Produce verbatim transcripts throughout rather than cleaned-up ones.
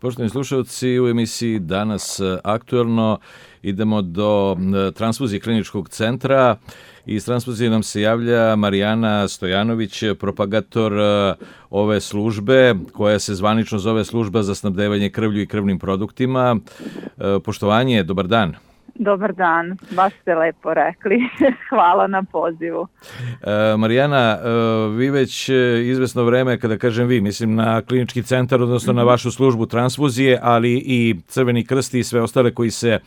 Poštovani slušalci, u emisiji Danas aktuelno idemo do transfuzije kliničkog centra. Iz transfuzije nam se javlja Marijana Stojanović, propagator ove službe, koja se zvanično zove Služba za snabdevanje krvlju i krvnim produktima. Poštovanje, dobar dan. Dobar dan, baš ste lepo rekli. Hvala na pozivu. E, Marijana, e, vi već izvesno vreme, kada kažem vi, mislim na klinički centar, odnosno na vašu službu transfuzije, ali i Crveni krst i sve ostale koji se e,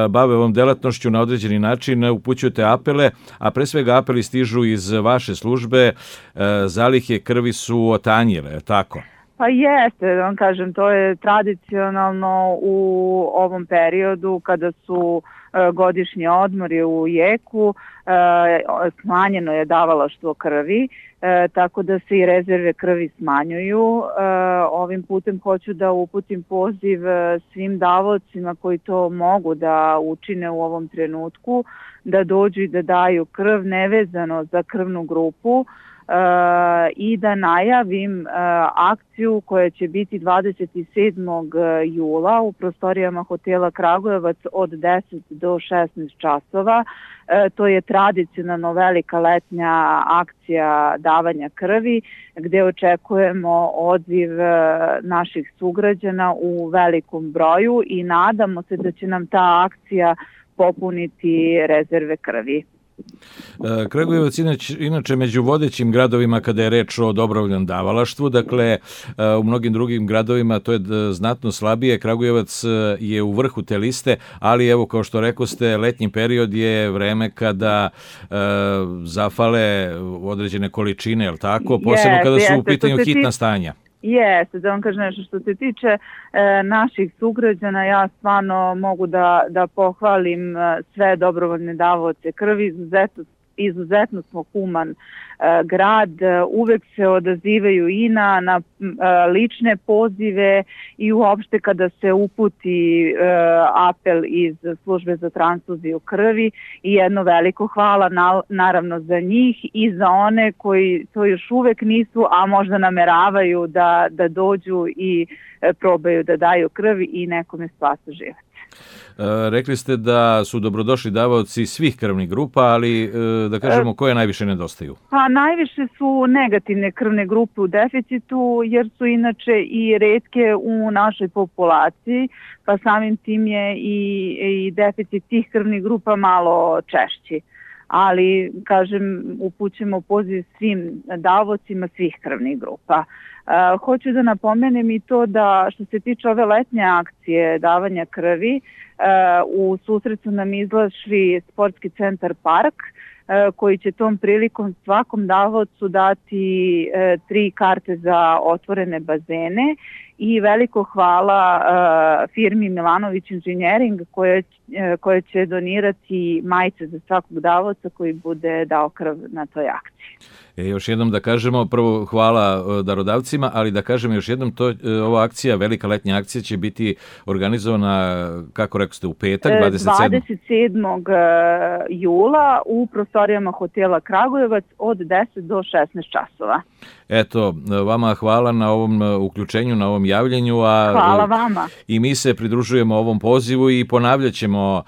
bave ovom delatnošću na određeni način, upućujete apele, a pre svega apeli stižu iz vaše službe, e, zalihe krvi su otanjile, tako? Pa jeste, da vam kažem, to je tradicionalno u ovom periodu kada su e, godišnji odmori u jeku, e, smanjeno je davalaštvo krvi, e, tako da se i rezerve krvi smanjuju. E, ovim putem hoću da uputim poziv svim davaocima koji to mogu da učine u ovom trenutku, da dođu i da daju krv nevezano za krvnu grupu, Uh, i da najavim uh, akciju koja će biti dvadeset sedmog jula u prostorijama hotela Kragujevac od deset do šesnaest časova. Uh, to je tradicionalno velika letnja akcija davanja krvi gde očekujemo odziv uh, naših sugrađana u velikom broju i nadamo se da će nam ta akcija popuniti rezerve krvi. Kragujevac inače, inače među vodećim gradovima kada je reč o dobrovoljnom davalaštvu, dakle u mnogim drugim gradovima to je znatno slabije. Kragujevac je u vrhu te liste, ali evo kao što rekoste, letnji period je vreme kada e, zafale određene količine, je li tako? Posebno kada su u pitanju hitna stanja. Jeste, da vam kažem nešto što se tiče e, naših sugrađana, ja stvarno mogu da, da pohvalim e, sve dobrovoljne davaoce krvi, izuzetno, izuzetno smo human e, grad, e, uvek se odazivaju i na, na e, lične pozive i uopšte kada se uputi e, apel iz službe za transfuziju krvi i jedno veliko hvala na, naravno za njih i za one koji to još uvek nisu, a možda nameravaju da, da dođu i e, probaju da daju krvi i nekome spasa život. E, rekli ste da su dobrodošli davaoci svih krvnih grupa, ali e, da kažemo koje najviše nedostaju? Pa najviše su negativne krvne grupe u deficitu, jer su inače i retke u našoj populaciji, pa samim tim je i, i deficit tih krvnih grupa malo češći. Ali, kažem, upućujemo poziv svim davaocima svih krvnih grupa. Uh, hoću da napomenem i to da što se tiče ove letnje akcije davanja krvi, uh, u susret su nam izlašli Sportski centar Park, uh, koji će tom prilikom svakom davaocu dati uh, tri karte za otvorene bazene i veliko hvala uh, firmi Milanović Inženjering koja, uh, koja će donirati majice za svakog davaoca koji bude dao krv na toj akciji. E, još jednom da kažemo, prvo hvala darodavcima, ali da kažem još jednom, to, ova akcija, velika letnja akcija će biti organizovana, kako rekao ste, u petak, dvadeset sedmog dvadeset sedmog jula u prostorijama hotela Kragujevac od deset do šesnaest časova. Eto, vama hvala na ovom uključenju, na ovom javljenju. A hvala vama. I mi se pridružujemo ovom pozivu i ponavljat ćemo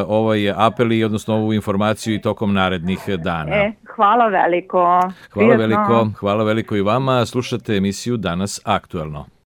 ovaj apel i odnosno ovu informaciju i tokom narednih dana. E, hvala veliko. Hvala veliko, hvala veliko i vama. Slušate emisiju Danas aktuelno.